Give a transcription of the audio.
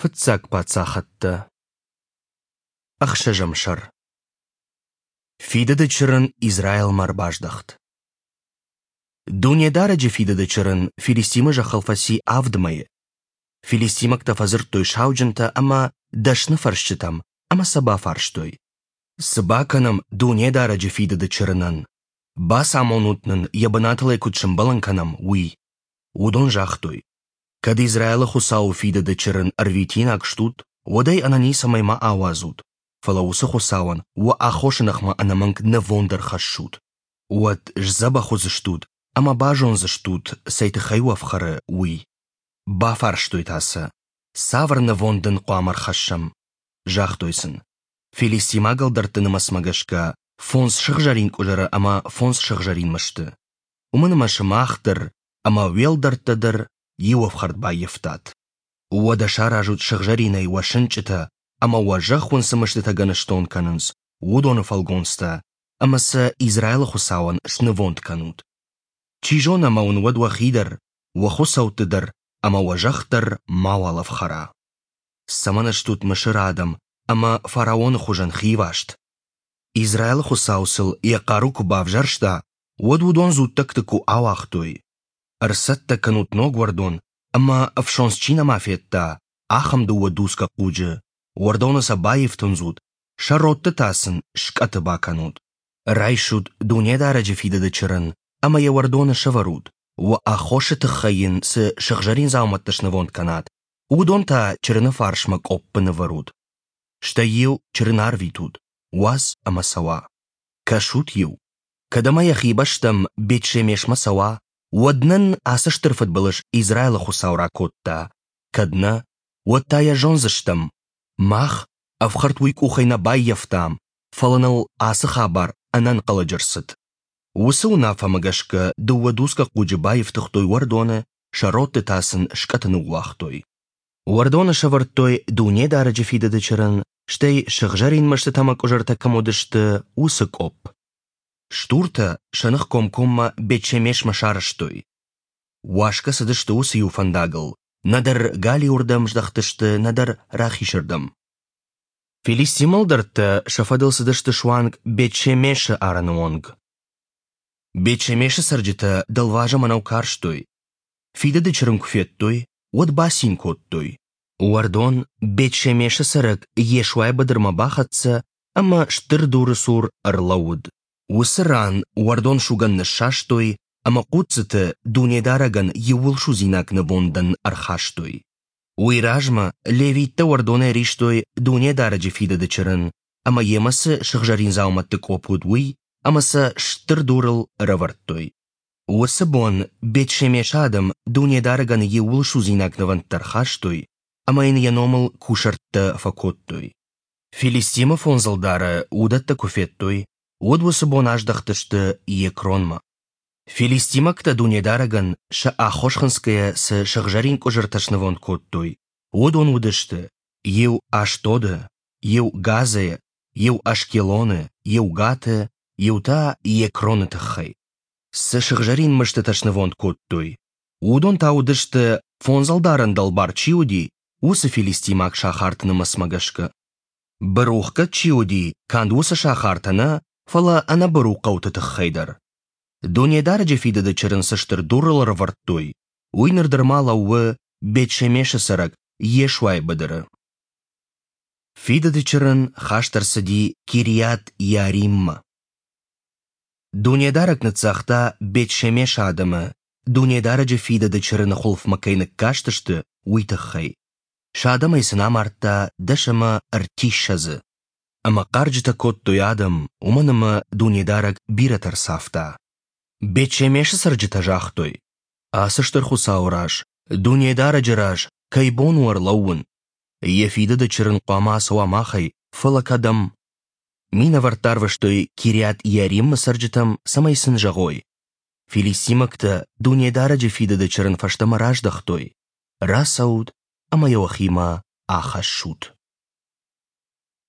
Фыццаг паддзахӕдтӕ. Ӕхсӕзӕм сӕр. Фидыды чырын Израилмӕ ӕрбаздӕхт. Дунедарӕджы фидыды чырын Филистимы зӕххыл фӕци авд мӕйы. Филистимӕгтӕ фӕдзырдтой сауджынтӕ ӕмӕ дӕсны фӕрсджытӕм ӕмӕ сӕ бафарстой: Цы бакӕнӕм Дунедарӕджы фидыды чырынӕн? Бацамонут нын, йӕ бынатыл ӕй куыд сӕмбӕлын кӕнӕм, уый. Уыдон загътой: Кӕд Израилы Хуыцауы фидыды чырын ӕрвитинаг стут, уӕд ӕй ӕнӕницӕмӕй ма ауадзут, фӕлӕ уыцы Хуыцауӕн уӕ аххосы ныхмӕ ӕнӕмӕнг нывонд ӕрхӕссут. Уӕд сдзӕбӕх уыдзыстут ӕмӕ базондзыстут, цӕй тыххӕй уӕ ӕфхӕры, уый. Бафарстой та сӕ, цавӕр нывонд ын хъуамӕ ӕрхӕссӕм? Загътой сын, филистимаг ӕлдӕртты нымӕцмӕ гӕсгӕ фондз сыгъзӕрин къуызыры ӕмӕ фондз сыгъзӕрин мысты. Уымӕн ӕмӕ сымах дӕр ӕмӕ уе лдӕрттӕ дӕр иу ӕфхӕрд баййӕфтат. Уӕдӕ саразут сыгъзӕринӕй уӕ сынчъытӕ ӕмӕ уӕ зӕхх уын цы мыстытӕ гӕныстон кӕнынц, уыдоны фӕлгонцтӕ ӕмӕ сӕ Израилы Хуыцауӕн снывонд кӕнут. Чи зоны ӕмӕ уын уӕд уӕхи дӕр, уӕ хуыцӕутты дӕр ӕмӕ уӕ зӕхх дӕр мауал ӕфхӕра. Цӕмӕн стут Мысыры адӕм ӕмӕ фараоны хуызӕн хиваст? Израилы Хуыцау сыл йӕ хъару куы бавзӕрста, уӕд уыдон дзуттӕгты куы ауагътой. Ӕрцӕттӕ кӕнут ног уӕрдон ӕмӕ ӕфсондз чи нӕма федта, ахӕм дыууӕ дуцгӕ хъуджы, уӕрдоны сӕ баифтындзут, сӕ родты та сын скъӕты бакӕнут. Райсут Дунедарӕджы фидыды чырын ӕмӕ йӕ уӕрдоны сӕвӕрут, уӕ аххосы тыххӕй йын цы сыгъзӕрин дзаумӕттӕ снывонд кӕнат, уыдон та чырыны фарсмӕ къоппы нывӕрут. Стӕй-иу чырын арвитут, уадз ӕмӕ цӕуа. Кӕсут-иу, кӕд ӕмӕ йӕхи бӕстӕм Бет-Шемешмӕ цӕуа, уӕд нын ацы стыр фыдбылыз Израилы Хуыцау ракодта, кӕд нӕ, уӕд та йӕ зондзыстӕм, мах ӕфхӕрд уый къухӕй нӕ баййӕфтам, фӕлӕ ныл ацы хабар ӕнӕнхъӕлӕджы рцыд. Уыцы уынаффӕмӕ гӕсгӕ дыууӕ дуцгӕ хъуджы баифтыгътой уӕрдоны, сӕ родты та сын скъӕты ныууагътой. Уӕрдоны сӕвӕрдтой Дунедарӕджы фидыды чырын, стӕй сыгъзӕрин мыстытӕ ӕмӕ къуызыртӕ кӕм уыдысты, уыцы къопп. Стуртӕ сӕ ных комкоммӕ Бет-Шемешмӕ сарӕзтой. Уасгӕ цыдысты уыцы иу фӕндагыл, нӕдӕр галиуырдӕм здӕхтысты, нӕдӕр рахизырдӕм. Филистимы ӕлдӕрттӕ сӕ фӕдыл цыдысты суанг Бет-Шемешы арӕны онг. Бет-Шемешы цӕрджытӕ дӕлвӕзы мӕнӕу карстой. Фидыды чырын куы федтой, уӕд бацин кодтой. Уӕрдон Бет-Шемешы цӕрӕг Йешуайы быдырмӕ бахӕццӕ ӕмӕ стыр дуры цур ӕрлӕууыд. Уыцы ран уӕрдон сугӕн ныссастой ӕмӕ хъуццыты Дунедарӕгӕн иууылсудзинаг нывондӕн ӕрхастой. Уый размӕ левиттӕ уӕрдонӕй ристой Дунедарӕджы фидыды чырын ӕмӕ йемӕ цы сыгъзӕрин дзаумӕтты къопп уыд, уый ӕмӕ сӕ стыр дурыл ӕрӕвӕрдтой. Уыцы бон Бет-Шемешы адӕм Дунедарӕгӕн иууылсудзинаг нывӕндтӕ ӕрхастой ӕмӕ йын йӕ номыл кусӕрттӕ фӕкодтой. Филистимы фондз ӕлдары уыдӕттӕ куы федтой, уӕд уыцы бон аздӕхтысты Екронмӕ. Филистимӕгтӕ Дунедарӕгӕн сӕ аххос хынцгӕйӕ цы сыгъзӕрин къуызыртӕ снывонд кодтой, уыдон уыдысты: иу Ашдоды, иу Газӕйы, иу Ашкелоны, иу Гаты, иу та Екроны тыххӕй. Цы сыгъзӕрин мыстытӕ снывонд кодтой, уыдон та уыдысты, фондз ӕлдарӕн дӕлбар чи уыди, уыцы филистимаг сахарты нымӕцмӕ гӕсгӕ. Бырухгӕд чи уыди, канд уыцы сахартӕ нӕ, фӕлӕ ӕнӕбыру хъӕуты тыххӕй дӕр. Дунедарӕджы фидыды чырын цы стыр дурыл ӕрӕвӕрдтой, уый ныр дӕр ма лӕууы Бет-Шемешы цӕрӕг Йешуайы быдыры. Фидыды чырын хаст ӕрцыди Кириат-Иариммӕ. Дунедарӕг ныццагъта Бет-Шемешы адӕмы, Дунедарӕджы фидыды чырыны хуылфмӕ кӕй ныккастысты, уый тыххӕй. Сӕ адӕмӕй сын амардта дӕс ӕмӕ ӕртиссӕдзы. Ӕмӕ хъарджытӕ кодтой адӕм, уымӕн ӕмӕ Дунедарӕг бирӕтӕ ӕрцавта. Бет-Шемешы цӕрджытӕ загътой: «Ацы стыр Хуыцауы раз, Дунедарӕджы раз, кӕй бон у ӕрлӕууын? Йӕ фидыды чырын хъуамӕ ацӕуа махӕй, фӕлӕ кӕдӕм?» Минӕвӕрттӕ арвыстой Кириат-Иаримы цӕрджытӕм, цӕмӕй сын зӕгъой: «Филистимӕгтӕ Дунедарӕджы фидыды чырын фӕстӕмӕ раздӕхтой. Рацӕут ӕмӕ йӕ уӕхимӕ ахӕссут».